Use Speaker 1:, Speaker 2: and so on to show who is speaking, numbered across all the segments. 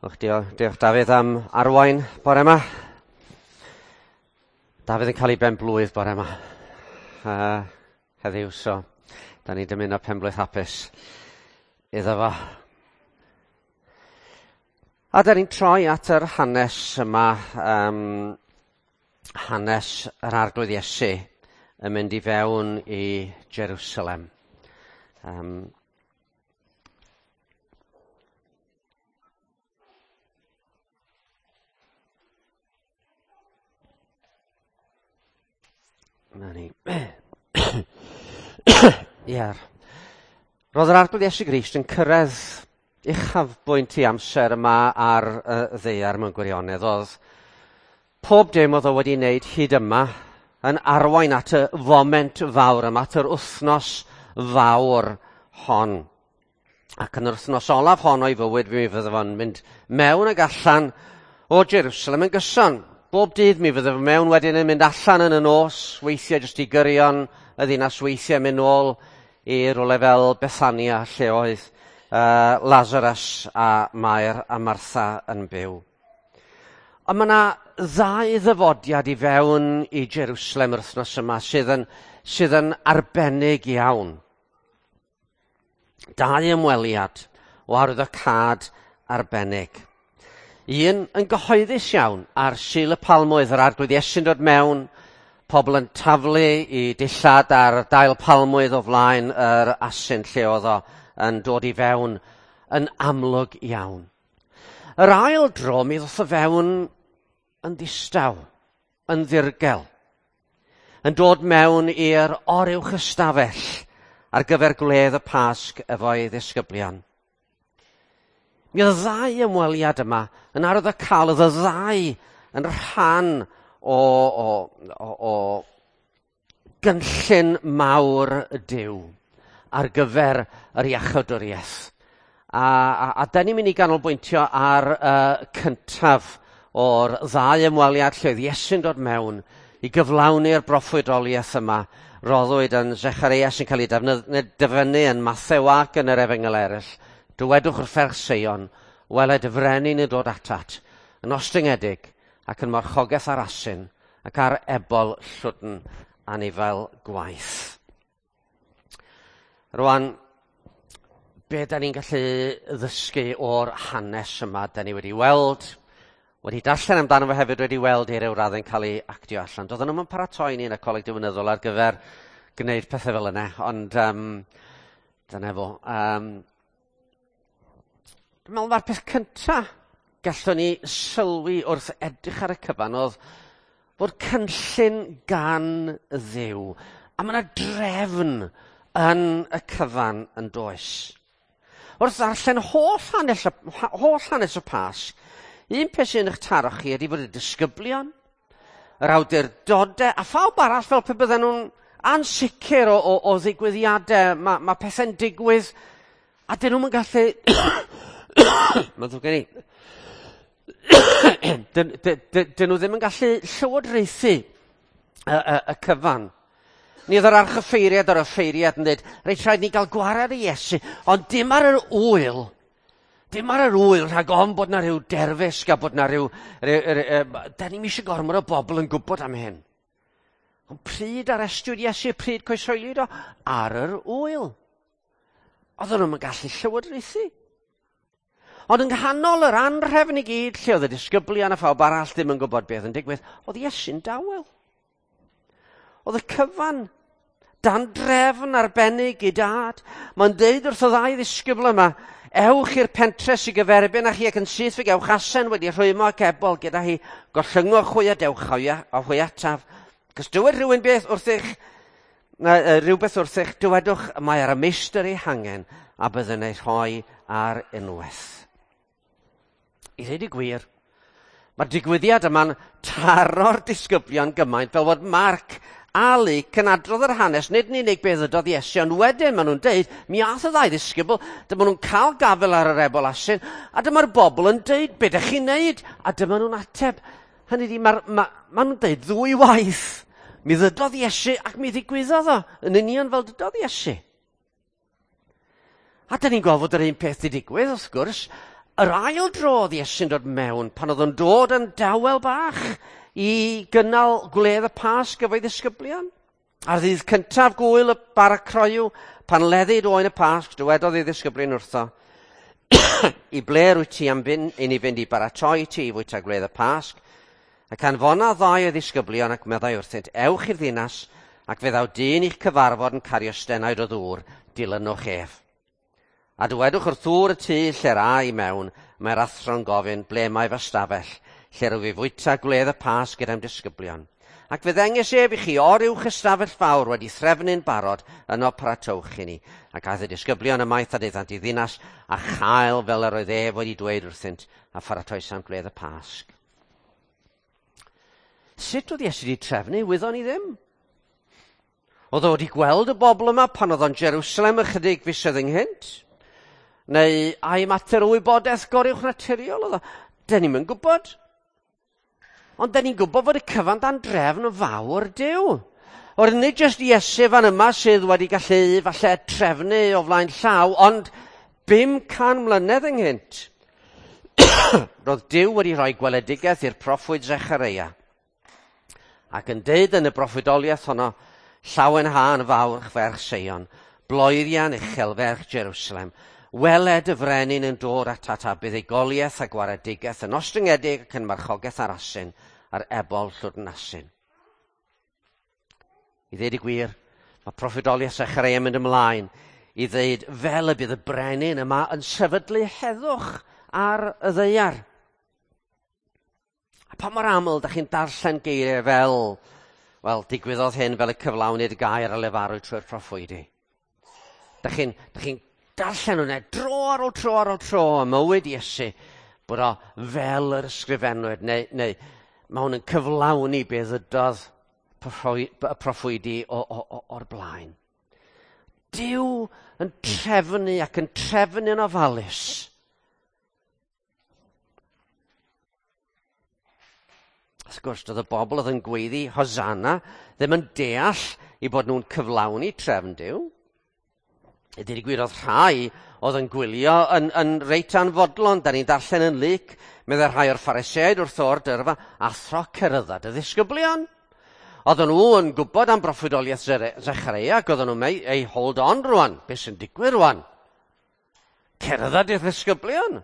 Speaker 1: Och, diolch, diolch Dafydd am arwain bore yma. Dafydd yn cael ei ben blwydd bore yma. Heddiw, so da ni'n dymuno penblwydd hapus iddo fo. A da ni'n troi at yr hanes yma, hanes yr Arglwydd Iesu yn mynd i fewn i Jerusalem. Na ni. Ie. Roedd yr Arglwydd Iesu Grist yn cyrraedd uchafbwynt i amser yma ar y ddaear mewn gwirionedd. Oedd pob dim oedd o wedi wneud hyd yma yn arwain at y foment fawr yma, at yr wythnos fawr hon. Ac yn yr wythnos olaf hon o'i fywyd, mi fydde fo'n mynd mewn ag allan o Jerusalem yn gyson. Bob dydd mi fydde fo mewn wedyn yn mynd allan yn y nos, weithiau jyst i gyrion y ddinas, weithiau mynd nôl i rywle fel Bethania, lle oedd Lazarus a Mair a Martha yn byw. Ond mae yna ddau ddyfodiad i fewn i Jerusalem yr wythnos yma sydd yn arbennig iawn. Dau ymweliad o arwyddocâd arbennig. Un yn gyhoeddus iawn ar Sul y Palmwydd, yr Arglwydd Iesu'n dod mewn, pobl yn taflu i dillad ar dail palmwydd o flaen yr asyn lle oedd o yn dod i fewn yn amlwg iawn. Yr ail dro mi ddoth o fewn yn ddistaw, yn ddirgel, yn dod mewn i'r oruwch ystafell ar gyfer gwledd y Pasg efo'i ddisgyblion. Mi oedd y ddau ymweliad yma yn arwyddocaol, oedd y ddau yn rhan o gynllun mawr Duw ar gyfer yr iachawdwriaeth. A da ni'n mynd i ganolbwyntio ar y cyntaf o'r ddau ymweliad lle oedd Iesu'n dod mewn i gyflawni'r broffwydoliaeth yma roddwyd yn Zechariah sy'n cael ei dyfynnu yn Mathew ac yn yr Efengyl eraill. Dywedwch wrth ferch Seion, weled y frenin yn dod atat, yn ostyngedig ac yn marchogaeth ar asyn ac ar ebol llwdn anifail gwaith. Rwan, be da ni'n gallu ddysgu o'r hanes yma da ni wedi weld, wedi darllen amdano fo hefyd, wedi weld i ryw raddau'n cael ei actio allan. Doedden nhw'm yn paratoi ni yn y coleg diwinyddol ar gyfer gwneud pethau fel yna, ond dyna fo. Dwi'n meddwl mae'r peth cynta gallwn ni sylwi wrth edrych ar y cyfan oedd bod cynllun gan Dduw. A mae yna drefn yn y cyfan yn does. Wrth ddarllen holl hanes y Pasg, un peth sy'n eich taro chi ydy bod y disgyblion, yr awdurdodau, a phawb arall fel pe bydden nhw'n ansicr o ddigwyddiadau. Mae pethau'n digwydd a dyn nhw'm yn gallu... Mae'n ddrwg gen i. Dyn nhw ddim yn gallu llywodraethu y cyfan. Ni oedd yr archoffeiriad a'r offeiriad yn dweud, reit, rhaid ni gael gwared i Iesu, ond dim ar yr ŵyl. Dim ar yr ŵyl, rhag ofn bod na rhyw derfysg a bod na rhyw, da ni'm eisiau gormod o bobl yn gwybod am hyn. Ond pryd arestiwyd Iesu, pryd croeshoeliwyd o? Ar yr ŵyl. Oedden nhw'm yn gallu llywodraethu. Ond yng nghanol yr anrhefn i gyd, lle oedd y disgyblion a phawb arall ddim yn gwybod beth yn digwydd, oedd Iesu'n dawel. Oedd y cyfan dan drefn arbennig i dad. Mae'n deud wrth y ddau ddisgybl yma, ewch i'r pentre sy'n gyferbyn â chi ac yn syth fe gewch asen wedi rhwymo ac ebol gyda hi, gollyngwch hwy a dewch a hwy ataf. Cos dywed rhywun beth wrthych, rhywbeth wrthych, dywedwch mae ar y meistr ei hangen a byddwn ei rhoi ar unwaith. I ddweud y gwir, mae'r digwyddiad yma'n taro'r disgyblion gymaint fel bod Marc a Luc yn adrodd yr hanes, nid yn unig beth ydodd Iesu, ond wedyn maen nhw'n deud, mi ath y ddau ddisgybl, dyma nhw'n cael gafel ar yr ebol asyn, a dyma'r bobl yn deud, be dych chi'n neud? A dyma nhw'n ateb. Hynny ydi, ma nhw'n deud ddwy waith. Mi ddydodd Iesu ac mi ddigwyddodd o, yn union fel dydodd Iesu. A dyn ni'n gweld fod yr un peth wedi digwydd, wrth gwrs, Yr ail dro oedd Iesu'n dod mewn, pan oedd o'n dod yn dawel bach i gynnal gwledd y Pasg efo'i ddisgyblion. Ar ddydd cyntaf gwyl y bara croyw, pan leddid oen y Pasg, dywedodd ei ddisgyblion wrtho, i ble rwyt ti am fynd, i ni fynd i baratoi ti i fwyta gwledd y Pasg? Ac anfona ddau o ddisgyblion ac meddai wrthynt, ewch i'r ddinas, ac fe ddaw dyn i'ch cyfarfod yn cario stenaid o ddŵr, dilynwch ef. A dywedwch wrth ddŵr y tŷ lle'r a i mewn, mae'r athro'n gofyn, ble mae fy stafell, lle rwyf i fwyta gwledd y Pasg gyda'm disgyblion. Ac fe ddengys ef i chi oruwch ystafell fawr wedi threfnu'n barod, yno paratowch i ni. Ac aeth y disgyblion ymaith a daethant i ddinas, a chael fel yr oedd ef wedi dweud wrthynt, a pharatoesant gwledd y Pasg. Sut oedd Iesu wedi trefnu, wyddon ni ddim. Oedd o wedi gweld y bobl yma pan oedd o'n Jerusalem ychydig fisoedd ynghynt? Neu ai mater o wybodaeth goruwch naturiol oedd o? Dyn ni'm yn gwybod. Ond dyn ni'n gwybod fod y cyfan dan drefn fawr Duw. O'r nid jyst Iesu fan yma sydd wedi gallu falle trefnu o flaen llaw, ond 500 mlynedd ynghynt, roedd Duw wedi rhoi gweledigaeth i'r proffwyd Zechareia. Ac yn deud yn y broffwydoliaeth honno, llawenhân fawr ferch Seion, bloeddian uchel ferch Jerusalem, weled y frenin yn dod atat a buddugoliaeth a gwaredigaeth yn ostyngedig ac yn marchogaeth ar asyn, ar ebol llwdn asyn. I ddeud y gwir, mae proffwydoliaeth Zechareia yn mynd ymlaen i ddeud fel y bydd y brenin yma yn sefydlu heddwch ar y ddaear. A pa mor aml da chi'n darllen geiriau fel, wel, digwyddodd hyn fel y cyflawnid gair a lefarwyd trwy'r proffwydi. Da chi'n darllen hwnna dro ar ôl tro ar ôl tro ym mywyd Iesu, bod o fel yr ysgrifennwyd, neu mae hwn yn cyflawni beth ydodd y proffwydi o'r blaen. Duw yn trefnu ac yn trefnu'n ofalus. Wrth gwrs, doedd y bobl oedd yn gweiddi Hosanna ddim yn deall i bod nhw'n cyflawni trefn Duw. I ddweud y gwir, oedd rhai oedd yn gwylio yn reit anfodlon. Da ni'n darllen yn Luc, meddai rhai o'r Phariseaid wrth o'r dyrfa, athro cerydda dy ddisgyblion. Oedden nhw yn gwybod am broffwydoliaeth Zechareia, ac oedden nhw'n meddwl, ei, hold on rwan, beth sy'n digwydd rwan? Cerydda dy ddisgyblion.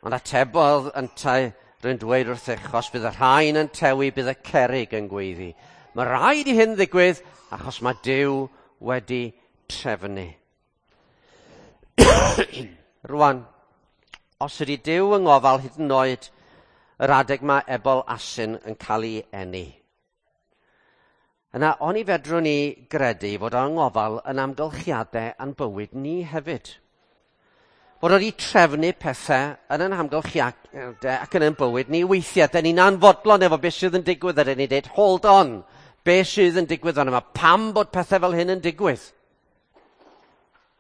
Speaker 1: Ond atebodd yntau, rwy'n dweud wrthych, os bydd y rhain yn tewi, bydd y cerrig yn gweiddi. Mae rhaid i hyn ddigwydd, achos mae Duw wedi trefnu. Rwan, os ydy Duw yng ngofal hyd yn oed yr adeg mae ebol asyn yn cael ei eni, yna oni fedrwn ni gredu fod o'n ngofal yn amgylchiadau a'n bywyd ni hefyd. Fod wedi trefnu pethau yn ein hamgylchiadau ac yn ein bywyd ni weithiau. Da ni'n anfodlon efo beth sydd yn digwydd a da ni'n dweud, hold on, beth sydd yn digwydd fan yma? Pam bod pethau fel hyn yn digwydd?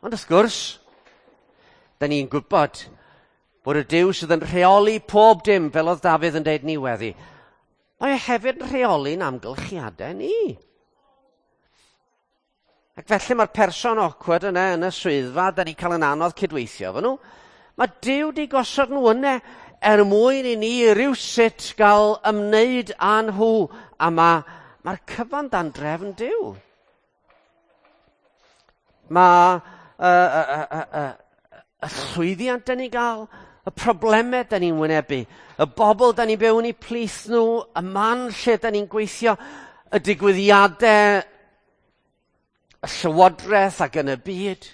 Speaker 1: Ond wrth gwrs, da ni'n gwybod bod y Duw sydd yn rheoli pob dim, fel oedd Dafydd yn dweud ni weddi, mae e hefyd yn rheoli'n amgylchiadau ni. Ac felly mae'r person awkward yna yn y swyddfa, da ni'n cael yn anodd cydweithio efo nhw. Mae Duw di gosod nhw yna er mwyn i ni rywsut gael ymwneud â nhw, a mae'r cyfan dan drefn Duw. Mae y llwyddiant da ni'n gael, y problemau da ni'n wynebu, y bobl da ni'n byw yn eu plith nhw, y man lle da ni'n gweithio, y digwyddiadau, y llywodraeth ac yn y byd.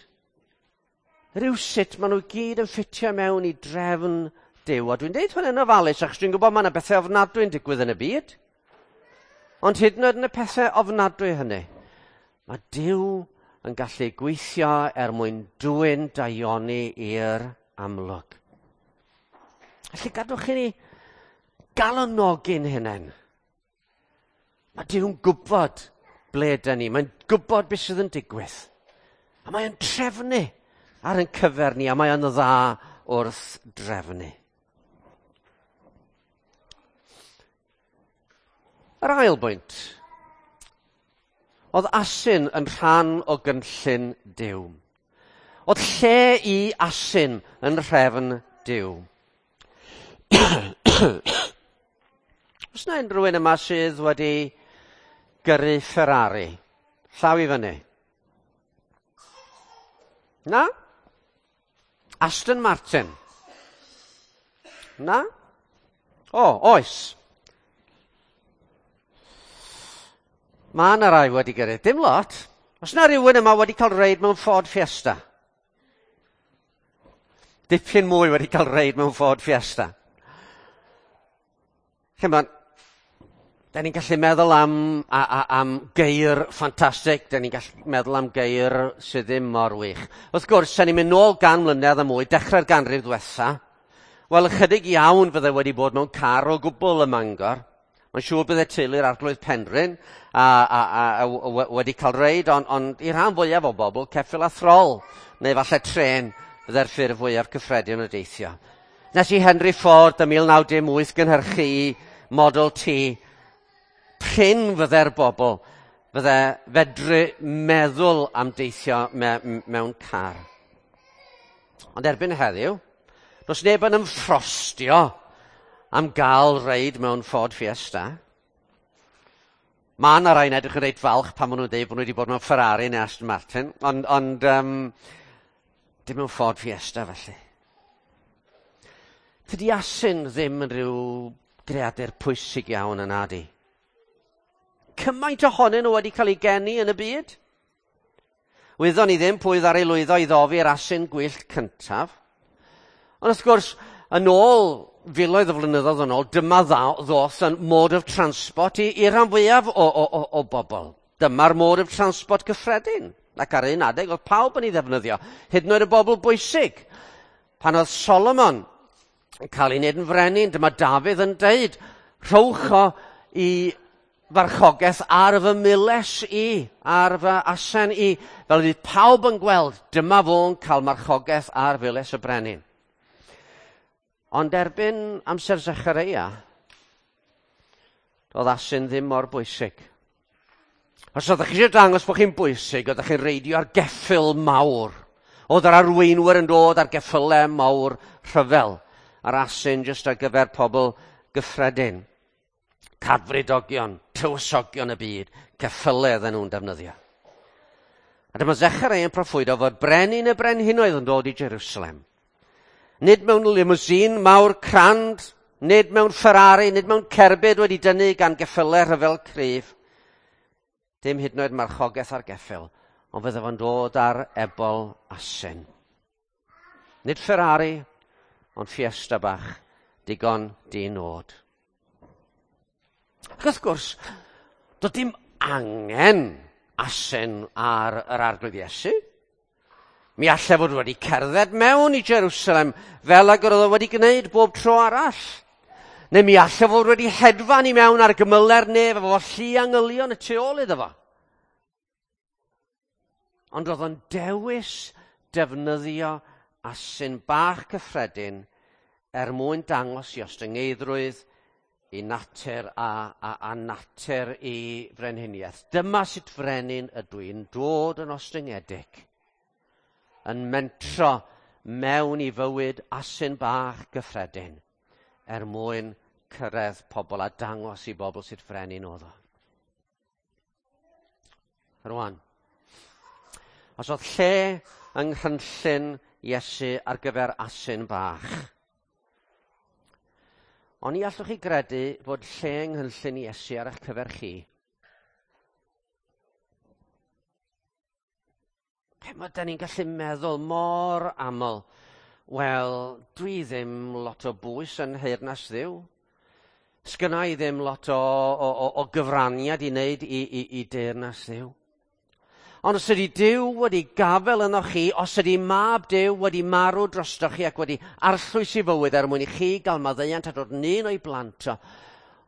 Speaker 1: Rywsut maen nhw gyd yn ffitio mewn i drefn Duw. A dwi'n deud hwn yn ofalus, achos dwi'n gwybod mae yna bethau ofnadwy yn digwydd yn y byd. Ond hyd yn oed yn y pethau ofnadwy hynny, mae Duw yn gallu gweithio er mwyn dwyn daioni i'r amlwg. Felly gadwch i ni galonogi'n hunain. Mae Duw'n gwybod ble ydyn ni. Mae'n gwybod beth sydd yn digwydd. A mae'n trefnu ar ein cyfer ni, a mae'n dda wrth drefnu. Yr ail bwynt. Oedd asyn yn rhan o gynllun Duw. Oedd lle i asyn yn rhefn Duw. Oes 'na unrhyw un yma sydd wedi gyrru Ferrari? Llaw i fyny. Na? Aston Martin? Na? O, oes. Mae yna rai wedi gyrru. Dim lot. Oes 'na rhywun yma wedi cael reid mewn Ford Fiesta? Dipyn mwy wedi cael reid mewn Ford Fiesta. Chimod, da ni'n gallu meddwl am geir ffantastig, da ni'n gallu meddwl am geir sydd ddim mor wych. Wrth gwrs, da ni'n mynd nôl 100 mlynedd a mwy, dechrau'r ganrif ddwetha. Wel, ychydig iawn fydde wedi bod mewn car o gwbl ym Mangor. Mae'n siŵr bydde teulu'r Arglwydd Penrhyn a wedi cael reid, ond i rhan fwyaf o bobl, ceffyl a throl, neu falle trên, fydde'r ffurf fwyaf cyffredin o deithio. Nes i Henry Ford ym 1918 gynhyrchu Model T. Prin fydde'r bobl fydde fedru meddwl am deithio mewn car. Ond erbyn heddiw, does neb yn ymffrostio am gael reid mewn Ford Fiesta. Mae yna rai'n edrych yn reit falch pan maen nhw'n dweud bod nhw wedi bod mewn Ferrari neu Aston Martin, ond dim mewn Ford Fiesta felly. Tydi asyn ddim yn rhyw greadur pwysig iawn yna di. Cymaint ohonyn nhw wedi cael eu geni yn y byd. Wyddon ni ddim pwy ddaru lwyddo i ddofi'r asyn gwyllt cyntaf. Ond wrth gwrs, yn ôl filoedd o flynyddoedd yn ôl, dyma ddoth yn mode of transport i rhan fwyaf o bobl. Dyma'r mode of transport cyffredin. Ac ar un adeg oedd pawb yn ei ddefnyddio, hyd yn oed y bobl bwysig. Pan oedd Solomon yn cael ei wneud yn frenin, dyma Dafydd yn deud, rhowch o i farchogaeth ar fy miles i, ar fy asen i, fel fydd pawb yn gweld, dyma fo'n cael marchogaeth ar files y brenin. Ond erbyn amser Zechareia, doedd asyn ddim mor bwysig. Os oeddech chi eisiau dangos bod chi'n bwysig, oeddech chi'n reidio ar geffyl mawr. Oedd yr arweinwyr yn dod ar geffylau mawr rhyfel, a'r asyn jyst ar gyfer pobl gyffredin. Cadfridogion, tywysogion y byd, ceffylau oedden nhw'n defnyddio. A dyma Zechareia yn proffwydo fod brenin y brenhinoedd yn dod i Jerusalem. Nid mewn limousine mawr crand, nid mewn Ferrari, nid mewn cerbyd wedi dynnu gan geffylau rhyfel cryf. Dim hyd yn oed marchogaeth ar geffyl, ond fydde fo'n dod ar ebol asyn. Nid Ferrari, ond Fiesta bach, digon di-nod. Ac wrth gwrs, doedd dim angen asyn ar yr Arglwydd Iesu. Mi allai fod wedi cerdded mewn i Jerusalem fel ag yr oedd o wedi gwneud bob tro arall. Neu mi allai fod wedi hedfan i mewn ar gymyle'r nef efo llu angylion y tu ôl iddo fo. Ond oedd o'n dewis defnyddio asyn bach cyffredin er mwyn dangos i ostyngeiddrwydd, i natur a natur i frenhiniaeth. Dyma sut frenin ydw i'n dod yn ostyngedig, yn mentro mewn i fywyd asyn bach gyffredin er mwyn cyrraedd pobl a dangos i bobl sut frenin oedd o. Rwan, os oedd lle yng nghynllun Iesu ar gyfer asyn bach, ond ni allwch chi gredu fod lle yng nghynllun Iesu ar eich cyfer chi. Chimod, da ni'n gallu meddwl mor aml, wel, dwi ddim lot o bwys yn nheyrnas Dduw. Sgynna i ddim lot o gyfraniad i wneud i deyrnas Dduw. Ond os ydy Duw wedi gafel yno chi, os ydy mab Duw wedi marw drostoch chi ac wedi arllwys i fywyd er mwyn i chi gael maddeuant a dod yn un o'i blant o,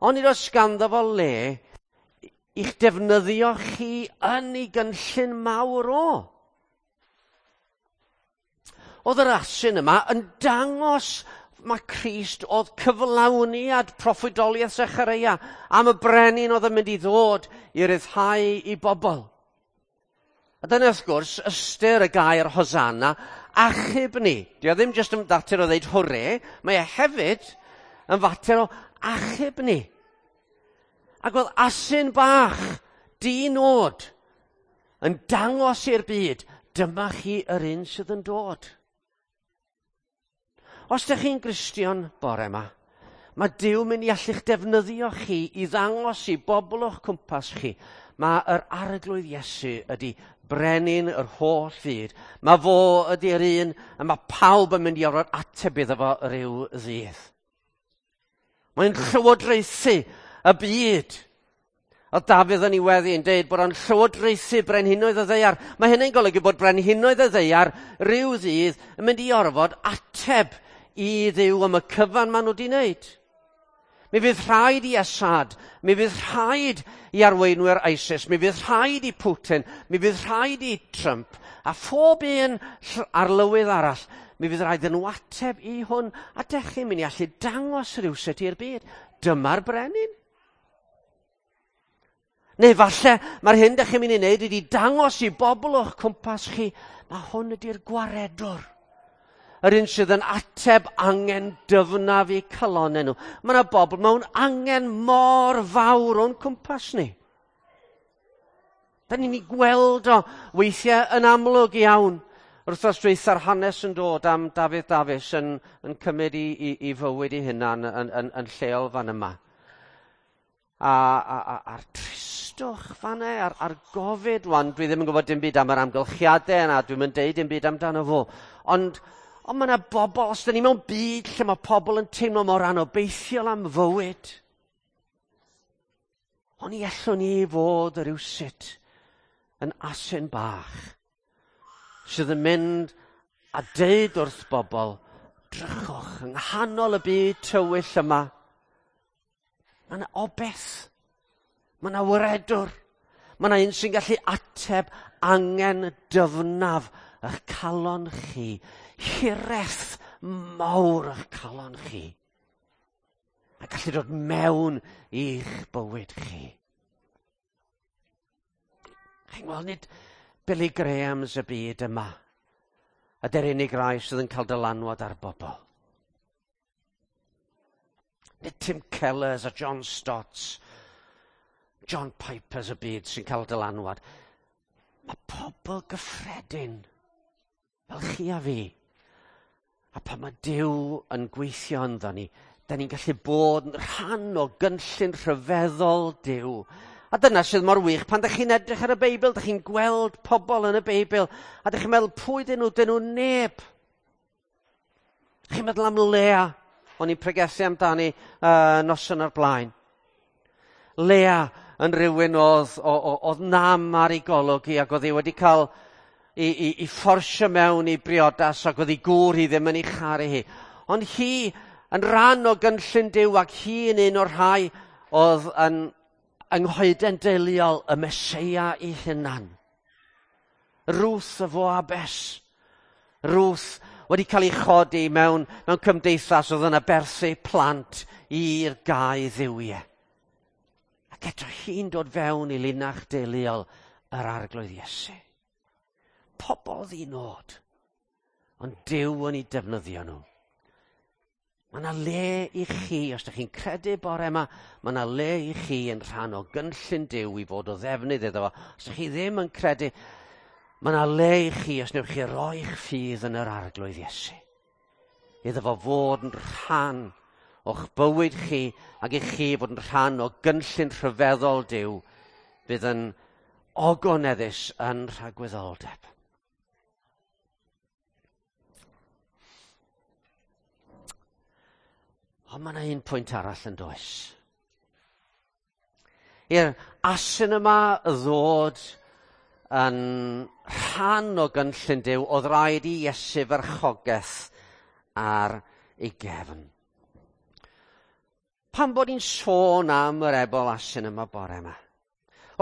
Speaker 1: ond nid oes ganddo fo le i'ch defnyddio chi yn ei gynllun mawr o. Oedd yr asyn yma yn dangos mae Crist oedd cyflawniad proffwydoliaeth Zechareia am y brenin oedd yn mynd i ddod i ryddhau i bobl. A dyna wrth gwrs ystyr y gair Hosanna, achub ni. Dio ddim jyst yn fater o ddeud hwre, mae e hefyd yn fater o achub ni. Ac oedd asyn bach, di-nod, yn dangos i'r byd, dyma chi yr un sydd yn dod. Os ydych chi'n Gristion bore yma, mae Duw mynd i allu'ch defnyddio chi i ddangos i bobl o'ch cwmpas chi. Mae yr Arglwydd Iesu ydy brenin yr holl fyd. Mae fo ydy'r un a mae pawb yn mynd i orfod ateb iddo fo ryw ddydd. Mae'n llywodraethu y byd. Oedd Dafydd yn ei weddi yn deud bod o'n llywodraethu brenhinoedd y ddaear. Mae hynny'n golygu bod brenhinoedd y ddaear ryw ddydd yn mynd i orfod ateb i Dduw am y cyfan maen nhw wedi wneud. Mi fydd rhaid i Assad, mi fydd rhaid i arweinwyr ISIS, mi fydd rhaid i Putin, mi fydd rhaid i Trump, a phob un arlywydd arall, mi fydd rhaid yn nhw ateb i hwn, a dech chi'n mynd i allu dangos rhywsut i'r byd. Dyma'r brenin. Neu falle mae'r hyn dych chi'n mynd i wneud ydy dangos i bobl o'ch cwmpas chi, mae hwn ydy'r gwaredwr. Yr un sydd yn ateb angen dyfnaf i calonau nhw. Mae yna bobl mewn angen mor fawr o'n cwmpas ni. Da ni'n ei gweld o weithiau yn amlwg iawn. Wrthnos dwytha'r hanes yn dod am Dafydd Dafis yn cymryd i fywyd ei hunan yn lleol fan yma. A'r tristwch fan'na, a'r gofid wan, dwi ddim yn gwybod dim byd am yr amgylchiadau yna, dwi'm yn deud dim byd amdano fo. Ond mae yna bobl, os 'dan ni mewn byd lle mae pobl yn teimlo mor anobeithiol am fywyd, ond i allwn ni fod rywsut yn asyn bach sydd yn mynd a deud wrth bobl, drychwch yng nghanol y byd tywyll yma, mae yna obeth, mae yna waredwr, mae yna un sy'n gallu ateb angen dyfnaf eich calon chi, hiraeth mawr eich calon chi, a gallu dod mewn i'ch bywyd chi. Chi'n gweld, nid Billy Grahams y byd yma ydy'r unig rai sydd yn cael dylanwad ar bobl. Nid Tim Kellers a John Stotts, John Pipers y byd sy'n cael dylanwad. Mae pobl gyffredin, fel chi a fi. A pan mae Duw yn gweithio ynddo ni, da ni'n gallu bod yn rhan o gynllun rhyfeddol Duw. A dyna sydd mor wych, pan ydych chi'n edrych ar y Beibl, ydych chi'n gweld pobl yn y Beibl, a ydych chi'n meddwl, pwy dyn nhw? Dyn nhw neb. Chi'n meddwl am Lea, o'n i'n pregethu amdani noson o'r blaen. Lea yn rhywun oedd nam ar ei golwg hi, ac oedd hi wedi cael i fforsio mewn i briodas, ac oedd ei gŵr hi ddim yn ei charu hi. Ond hi yn rhan o gynllun Duw, ac hi yn un o'r rhai oedd yn yng nghoeden deuluol y Meseia ei hunan. Ruth y Foabes. Ruth wedi cael ei chodi mewn cymdeithas oedd yn aberthu plant i'r gau dduwiau. Ac eto hi'n dod fewn i linach deuluol yr Arglwydd Iesu. Pobl ddinod, ond Duw yn ei defnyddio nhw. Mae yna le i chi, os ydych chi'n credu bore yma, mae yna le i chi yn rhan o gynllun Duw i fod o ddefnydd iddo fo. Os ydych chi ddim yn credu, mae yna le i chi os wnewch chi roi'ch ffydd yn yr Arglwydd Iesu. Iddo fo fod yn rhan o'ch bywyd chi ac i chi fod yn rhan o gynllun rhyfeddol Duw fydd yn ogoneddus yn rhagwyddoldeb. Ond mae yna un pwynt arall yn does. I'r asyn yma ddod yn rhan o gynllun Duw, oedd rhaid i Iesu farchogaeth ar ei gefn. Pam bod ni'n sôn am yr ebol asyn yma bore yma?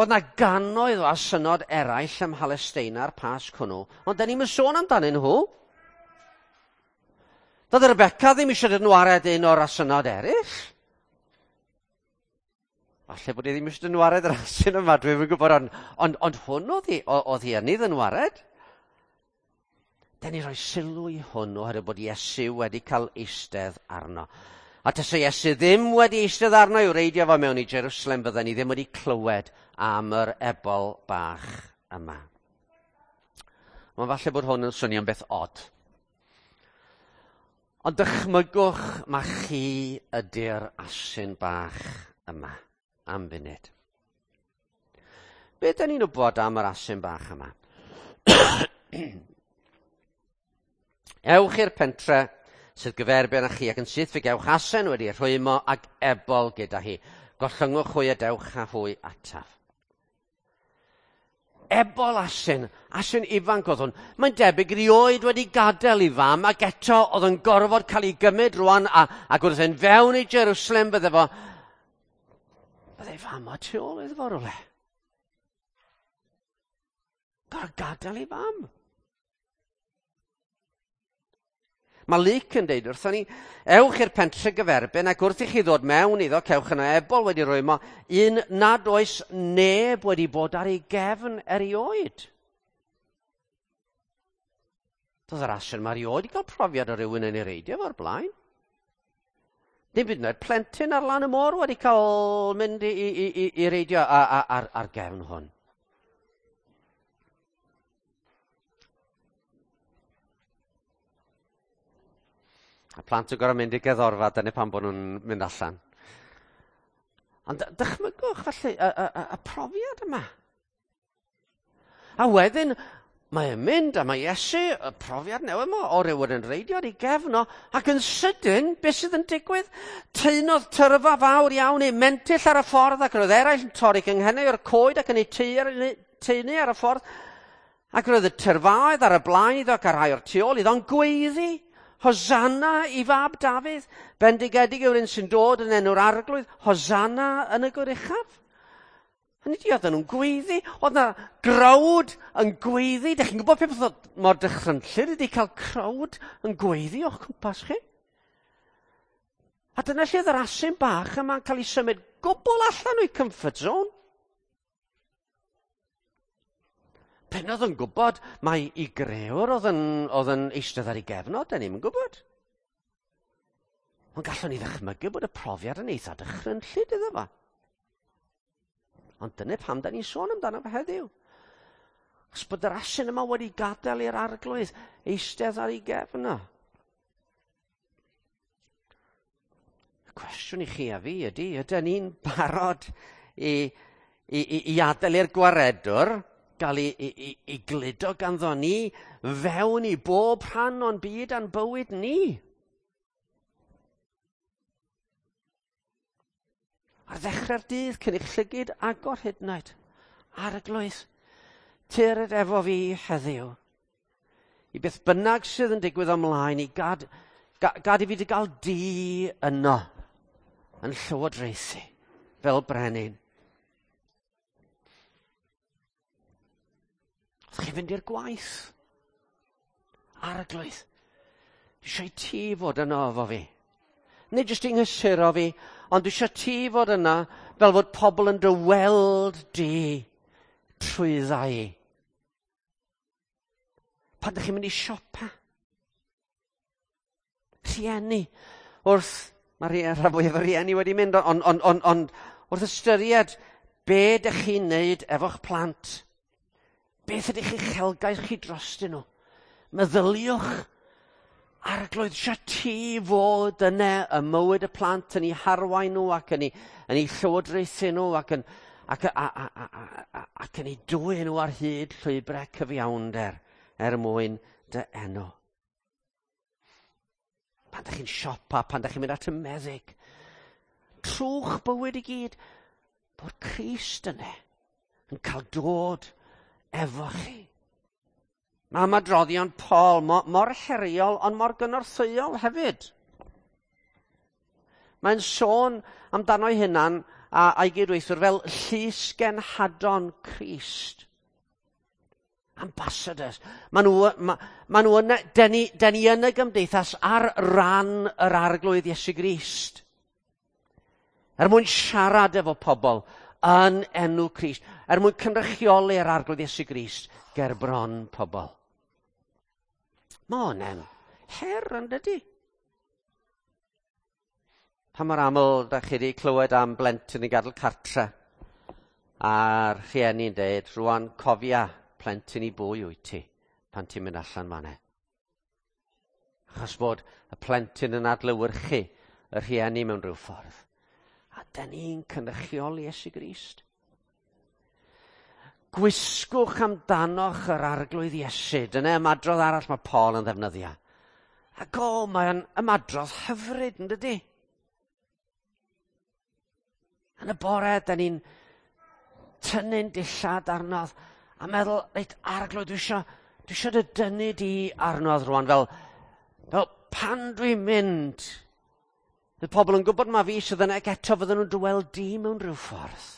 Speaker 1: Oedd na gannoedd o asynod eraill ym Mhalesteina ar Pasg hwnnw, ond da ni'm yn sôn amdanyn nhw. Doedd Rebecca ddim eisiau dynwared un o'r asynod eraill. Falle bod hi ddim eisiau dynwared yr asyn yma, dwi'n yn gwybod, ond hwn oedd hi yn ei ddynwared. Da ni rhoi sylw i hwn oherwydd bod Iesu wedi cael eistedd arno. A tasa Iesu ddim wedi eistedd arno i'w reidio fo mewn i Jerusalem, bydden ni ddim wedi clywed am yr ebol bach yma. Mae'n falle bod hwn yn swnio'n beth od. Ond dychmygwch ma chi ydy'r asyn bach yma am funud. Be da ni'n wybod am yr asyn bach yma? Ewch i'r pentre sydd gyferbyn â chi ac yn syth fe gewch asen wedi rhwymo ac ebol gyda hi. Gollyngwch hwy a dewch â hwy ataf. Ebol asyn, asyn ifanc oedd hwn. Mae'n debyg rioed wedi gadael i fam ac eto oedd yn gorfod cael ei gymryd rwan ac wrth e'n fewn i Jerusalem bydde fo. Bydde ei fam o tu ôl iddo fo rhywle. Gorfod gadael ei fam. Mae Luc yn deud wrthon ni, ewch i'r pentre gyferbyn ac wrth i chi ddod mewn iddo, cewch yna ebol wedi rwymo, un nad oes neb wedi bod ar ei gefn erioed. Doedd yr asyn yma erioed i gael profiad o rywun yn ei reidio fo'r blaen. Dim byd yn oed plentyn ar lan y môr wedi cael mynd i reidio ar gefn hwn. A plant yn gorfod mynd i gerddorfa, dyna pam bod nhw'n mynd allan. Ond dychmygwch felly y profiad yma. A wedyn mae'n mynd a mae Iesu, y profiad newydd yma, o rywun yn reidio ar ei gefn o, ac yn sydyn, beth sydd yn digwydd? Taenodd tyrfa fawr iawn ei mentyll ar y ffordd, ac roedd eraill yn torri cynghennau o'r coed ac yn ei taenu ar y ffordd. Ac roedd y tyrfaoedd ar y blaen iddo ac ar rhai o'r tu ôl iddo'n gweiddi. Hosanna i fab Dafydd, bendigedig yw'r un sy'n dod yn enw'r arglwydd, Hosanna yn y goruchaf. Hynny ydi, oedden nhw'n gweiddi, oedd na growd yn gweiddi. Dych chi'n gwybod peth oedd mor dychrynllyd ydi cael crowd yn gweiddi o'ch cwmpas chi? A dyna lle oedd yr asyn bach yma'n cael ei symud gwbl allan o'i comfort zone. Pen oedd yn gwybod mai i grëwr oedd yn eistedd ar ei gefnod, da ni'm yn gwybod. Ond gallwn ni ddychmygu bod y profiad yn eitha dychrynllyd iddo fo. Ond dyna pam da ni'n sôn amdano fo heddiw. Achos bod yr asyn yma wedi gadael i'r arglwydd eistedd ar ei gefn o. Y cwestiwn i chi a fi ydy, ydyn ni'n barod i adael i'r gwaredwr gael ei gludo ganddo ni fewn i bob rhan o'n byd a'n bywyd ni? Ar ddechrau'r dydd, cyn i'ch llygid agor hyd yn oed, arglwydd, tyrd efo fi heddiw. I beth bynnag sydd yn digwydd ymlaen, i gad i fi dy gael di yno yn llywodraethu fel brenin. Wrth chi fynd i'r gwaith, arglwydd, dwi eisiau ti fod yno efo fi. Nid jyst i nghysuro fi, ond dwi eisiau ti fod yna fel fod pobl yn dy weld di trwydda i. Pan ydych chi'n mynd i siopa? Rhieni, wrth, mae rhan fwyaf o rieni wedi mynd, ond wrth ystyried be ydych chi'n neud efo'ch plant, beth ydych chi'ch uchelgais chi drostyn nhw? Meddyliwch, arglwydd, eisiau ti fod yna ym mywyd y plant yn eu harwain nhw ac yn eu llywodraethu nhw ac yn eu dwyn nhw ar hyd llwybrau cyfiawnder er mwyn dy enw. Pan ydych chi'n siopa, pan ydych chi'n mynd at y meddyg, trwch bywyd i gyd, bod Crist yna yn cael dod efo chi. Mae ymadroddion Paul mor heriol ond mor gynorthwyol hefyd. Mae'n sôn amdano'i hunan a'i gydweithwyr fel llysgenhadon Crist. Ambassadors. Maen nhw yna, den ni yn y gymdeithas ar ran yr arglwydd Iesu Grist. Er mwyn siarad efo pobl yn enw Crist, er mwyn cynrychioli'r Arglwydd Iesu Grist ger bron pobl. Mae hwnna'n her yn dydy? Pa mor aml da chi wedi clywed am blentyn yn gadael cartre a'r rhieni'n dweud, rwan cofia plentyn i bwy wyt ti pan ti'n mynd allan fan'na. Achos bod y plentyn yn adlewyrchu y rhieni mewn rhyw ffordd. A da ni'n cynrychioli Iesu Grist. Gwisgwch amdanoch yr Arglwydd Iesu. Dyna ymadrodd arall mae Paul yn ddefnyddio. Ac o, mae'n ymadrodd hyfryd, yn dydy? Yn y bore, da ni'n tynnu'n dillad arnodd a meddwl, reit, Arglwydd, dwi isio dy dynnu di arnodd rwan, fel pan dwi'n mynd, fydd pobl yn gwybod ma fi sydd yna ac eto fydden nhw'n dy weld di mewn rhyw ffordd.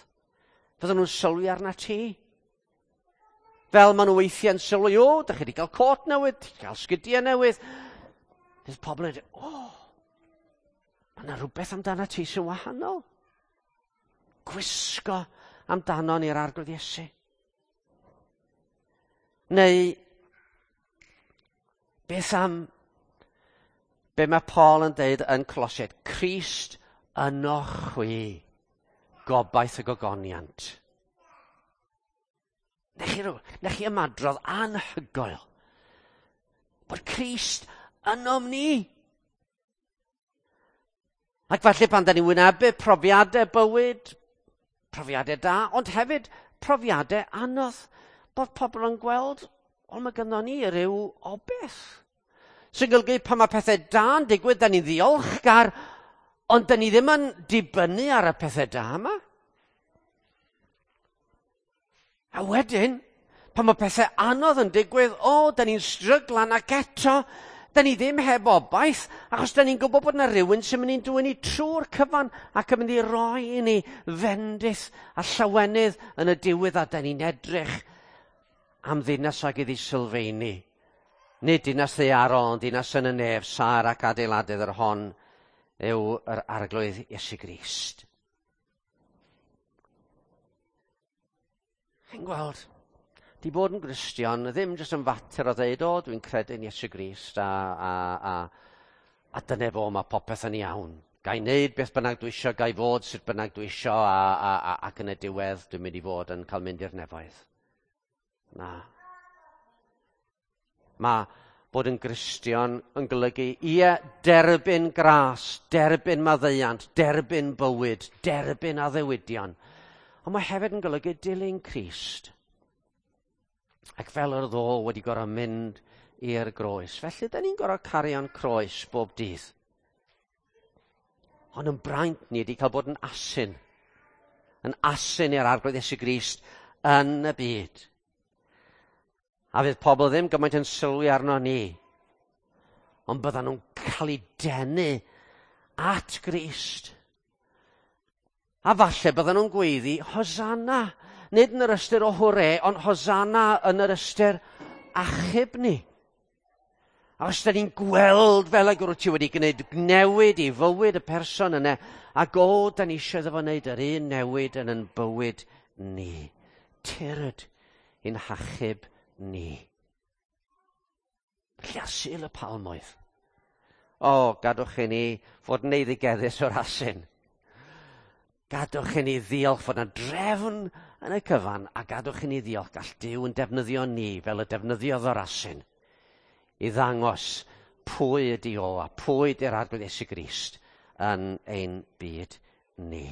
Speaker 1: Fydden nhw'n sylwi arna ti. Fel maen nhw weithiau'n sylwi, o, da chi wedi cael cot newydd, ti wedi cael sgidiau newydd. Bydd pobl yn dweud, o, mae yna rhywbeth amdana ti sy'n wahanol. Gwisgo amdano ni'r Arglwydd Iesu. Neu, beth am be mae Paul yn deud yn Colosiaid? Crist ynoch chwi, gobaith y gogoniant. Nech chi ymadrodd anhygoel bod Crist ynom ni. Ac falle pan da ni'n wynebu profiadau bywyd, profiadau da, ond hefyd profiadau anodd, bod pobl yn gweld, o, mae gynnon ni ryw obaith. Sy'n golygu pan mae pethau da'n digwydd, da ni'n ddiolchgar, ond da ni ddim yn dibynnu ar y pethau da yma. A wedyn, pan mae pethau anodd yn digwydd, o, da ni'n stryglan ac eto, da ni ddim heb obaith, achos da ni'n gwybod bod yna rhywun sy'n mynd i'n dwyn ni trwy'r cyfan ac yn mynd i roi i ni fendith a llawenydd yn y diwedd, a da ni'n edrych am ddinas ag iddi sylfaeni. Nid dinas ddaearol, ond dinas yn y nef, saer ac adeiladydd yr hon yw yr Arglwydd Iesu Grist. Chi'n gweld, di bod yn Gristion ddim jyst yn fater o ddeud, o, dwi'n credu yn Iesu Grist a dyna fo, mae popeth yn iawn. Ga i wneud beth bynnag dwi isio, ga i fod sut bynnag dwi isio, ac yn y diwedd dwi'n mynd i fod yn cael mynd i'r nefoedd. Na. Mae bod yn Gristion yn golygu, ie, derbyn gras, derbyn maddeuant, derbyn bywyd, derbyn addewidion. Ond mae hefyd yn golygu dilyn Crist. Ac fel yr oedd o wedi gorfod mynd i'r groes. Felly, da ni'n gorfod cario'n croes bob dydd. Ond yn braint ni wedi cael bod yn asyn. Yn asyn i'r Arglwydd Iesu Grist yn y byd. A fydd pobl ddim gymaint yn sylwi arno ni. Ond byddan nhw'n cael eu denu at Grist. A falle byddan nhw'n gweiddi Hosanna. Nid yn yr ystyr o hwre, ond Hosanna yn yr ystyr achub ni. A os da ni'n gweld fel ag wyt ti wedi gwneud newid i fywyd y person yna, ac o, da ni eisiau iddo fo wneud yr un newid yn ein bywyd ni. Tyrd i'n hachub ni. Felly ar Sul y Palmoedd. O, gadwch i ni fod yn eiddigeddus o'r asyn. Gadwch i ni ddiolch fod yna drefn yn y cyfan, a gadwch i ni ddiolch gall Duw yn defnyddio ni fel y defnyddiodd o'r asyn i ddangos pwy ydi o a pwy ydi'r Arglwydd Iesu Grist yn ein byd ni.